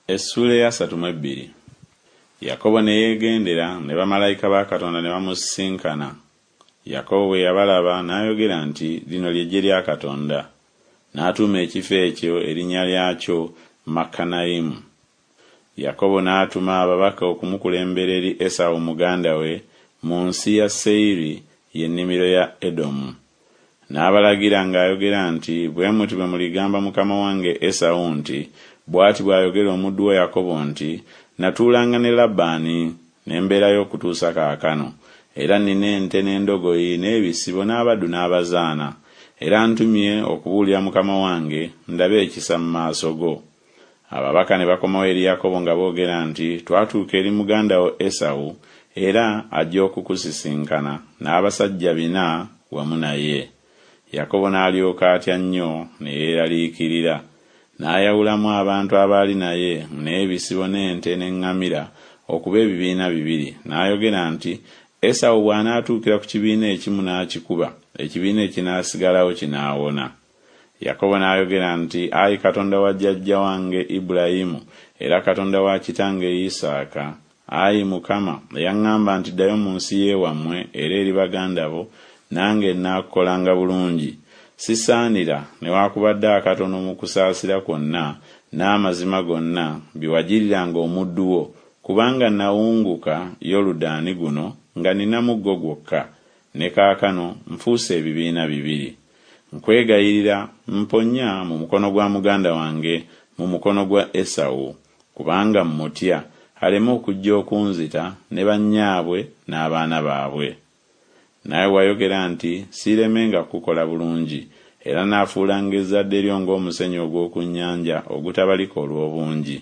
Essuula ey'asatu mu ebbiri. Yakobo ne yeegendera, ne bamalayika ba Katonda ne bamusisinkana. Yakobo bwe yabalaba n'ayogera nti, Lino lye ggye lya Katonda. N'atuuma ekifo ekyo erinnya lyakyo Makanayimu. Yakobo n'atuma ababaka okumukulembera eri Esawu muganda we mu nsi ya Seyiri, ye nnimiro ya Edomu. N'abalagira ng'ayogera nti Bwe muti bwe muligamba mukama wange Esawu nti Bw'ati bw'ayogera omuddu wo Yakobo nti Natuulanga ne Labbaani, ne mbeerayo okutuusa kaakano, era nnina ente n'endogoyi n'ebisibo n'abaddu n'abazaana, era ntumye okubuulira mukama wange, ndabe ekisa mu maaso go. Ababaka ne bakomawo eri Yakobo nga boogera nti Twatuuka eri muganda wo Esawu, era ajja okukusisinkana, n'abasajja bina wamu naye. Yakobo n'alyoka atya nnyo ne yeeraliikirira. N'ayawulamu abantu abaali naye, n'ebisibo n'ente n'eŋŋamira, okuba ebibiina bibiri, n'ayogera nti Esawu bw'anaatuukira ku kibiina ekimu n'akikuba, ekibiina ekinaasigalawo kinaawona. Yakobo n'ayogera nti Ayi Katonda wa jjajja wange Ibulayimu, era Katonda wa kitange Isaaka, ayi Mukama, eyaŋŋamba nti Ddayo mu nsi y'ewammwe era eri baganda bo, nange nnaakukolanga bulungi, sisaanira newakubadde akatono mu kusaasira kwonna n'amazima gonna bye wagiriranga omuddu wo, kubanga nawunguka Yoludaani guno nga nnina muggo gwokka, ne kaakano nfuuse ebibiina bibiri. Nkwegayirira, mponya mu mukono gwa muganda wange, mu mukono gwa Esawu, kubanga mmutya, aleme okujja okunzita ne bannyaabwe n'abaana baabwe. Naawe wayogera nti Siiremenga kukukola bulungi, era naafuulanga ezzadde lyo ng'omusenyu ogw'oku nnyanja ogutabalika olw'obungi.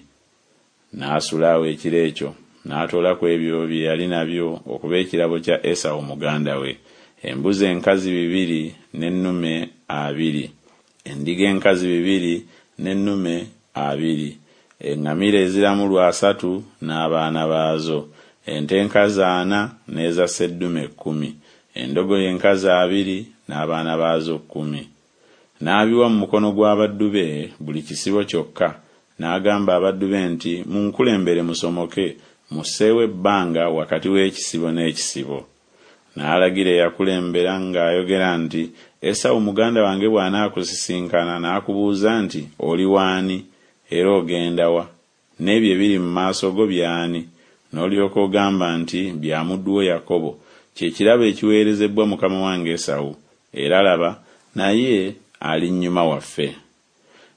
N'asula awo ekiro ekyo, n'atoola ku ebyo bye yali nabyo okuba ekirabo kya Esawu muganda we, embuzi enkazi bibiri n'ennume abiri, endiga enkazi bibiri n'ennume abiri, eŋŋamira eziramulwa asatu n'abaana baazo, ente enkazi ana n'eza sseddume kkumi, endogoyi enkazi abiri n'abaana baazo kkumi. N'abiwa mu mukono gw'abaddu be buli kisibo kyokka, n'agamba abaddu be nti Munkulembere musomoke, musseewo ebbanga wakati w'ekisibo n'ekisibo. N'alagira eyakulembera ng'ayogera nti Esawu muganda wange bw'anaakusisinkana n'akubuuza nti Oli w'ani? Era ogenda wa? N'ebyo ebiri mu maaso go by'ani? N'olyoka ogamba nti Bya muddu wo Yakobo, kye kirabo ekiweerezebbwa mukama wange Esawu, era laba, naye ali nnyuma waffe.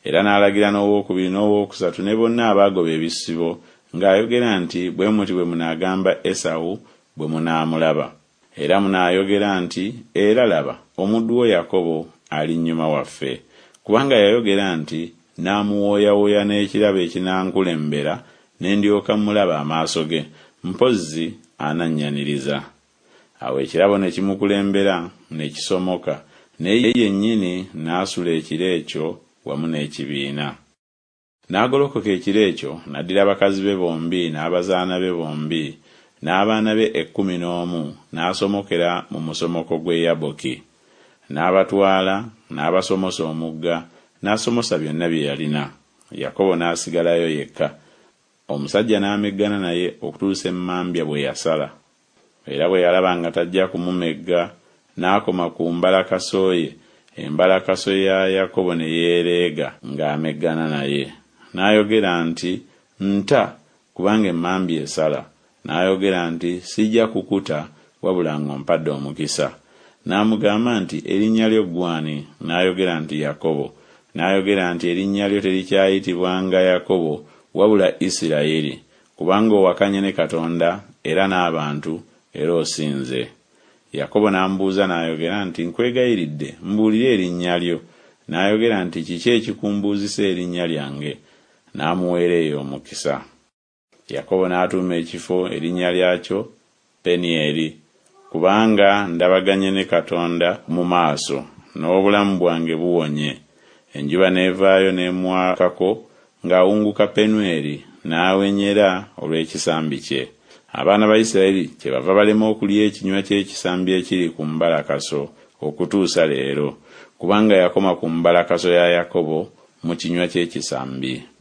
Era n'alagira n'ow'okubiri n'ow'okusatu ne bonna abaagoba ebisibo ng'ayogera nti Bwe muti bwe munaagamba Esawu bwe munaamulaba. Era munaayogera nti Era laba, omuddu wo Yakobo ali nnyuma waffe. Kubanga yayogera nti Naamuwooyawooya n'ekirabo ekinankulembera, ne ndyoka mmulaba amaaso ge, mpozzi anannyaniriza. Awo ekirabo ne kimukulembera ne kisomoka, naye ye yennyini n'asula ekiro ekyo wamu n'ekibiina. N'agolokoka ekiro ekyo, n'addira bakazi be bombi n'abazaana be bombi, n'abaana be ekkumi n'omu, n'asomokera mu musomoko gw'e Yaboki. N'abatwala, n'abasomosa omugga, n'asomosa byonna bye yalina. Yakobo n'asigalayo yekka. Omusajja n'ameggana naye okutuusa emmambya bwe yasala. Era bwe yalaba nga tajja kumumegga, n'akoma ku mbalakaso ye, embalakaso ya Yakobo ne yeereega ng'ameggana naye. N'ayogera nti Nta, kubanga emmambya esala. N'ayogera nti Sijja kukuta wabula ng'ompadde omukisa. N'amugamba nti Erinnya lyo ggwe ani? N'ayogera nti Yakobo. N'ayogera nti Erinnya lyo terikyayitibwanga Yakobo, wabula Isiraeri, kubanga owakanye ne Katonda era n'abantu, era osinze. Yakobo n'amubuuza n'ayogera nti Nkwegayiridde, mbuulira erinnya lyo. N'ayogera nti Kiki ekikumbuuzisa erinnya lyange? N'amuweera eyo omukisa. Yakobo n'atuuma ekifo erinnya lyakyo Penieri, kubanga ndabaganye ne Katonda mu maaso, n'obulamu bwange buwonye. Enjuba n'evaayo n'emwakako ng'awunguka Penueri, n'awenyera olw'ekisambi kye. Abaana ba Isiraeri kyebava balema okulya ekinywa ky'ekisambi ekiri ku mbalakaso okutuusa leero, kubanga yakoma ku mbalakaso ya Yakobo mu kinywa ky'ekisambi.